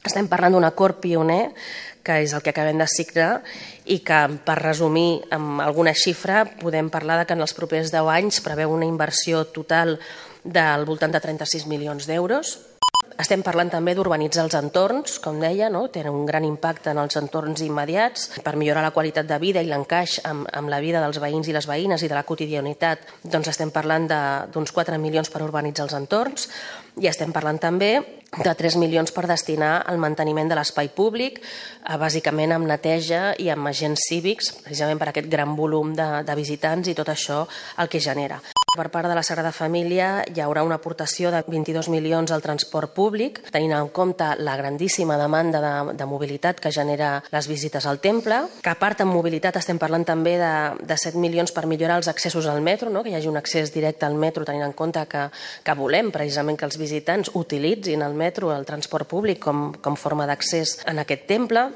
Estem parlant d'un acord pioner, que és el que acabem de signar, i que, per resumir amb alguna xifra, podem parlar que en els propers 10 anys preveu una inversió total del voltant de 36 milions d'euros. Estem parlant també d'urbanitzar els entorns, com deia, tenen un gran impacte en els entorns immediats per millorar la qualitat de vida i l'encaix amb la vida dels veïns i les veïnes i de la quotidianitat. Doncs estem parlant d'uns 4 milions per urbanitzar els entorns i estem parlant també de 3 milions per destinar al manteniment de l'espai públic, bàsicament amb neteja i amb agents cívics, precisament per aquest gran volum de visitants i tot això el que genera. Per part de la Sagrada Família hi haurà una aportació de 22 milions al transport públic, tenint en compte la grandíssima demanda de mobilitat que genera les visites al temple, que a part en mobilitat estem parlant també de 7 milions per millorar els accessos al metro, que hi hagi un accés directe al metro, tenint en compte que volem precisament que els visitants utilitzin el metro, el transport públic, com forma d'accés en aquest temple.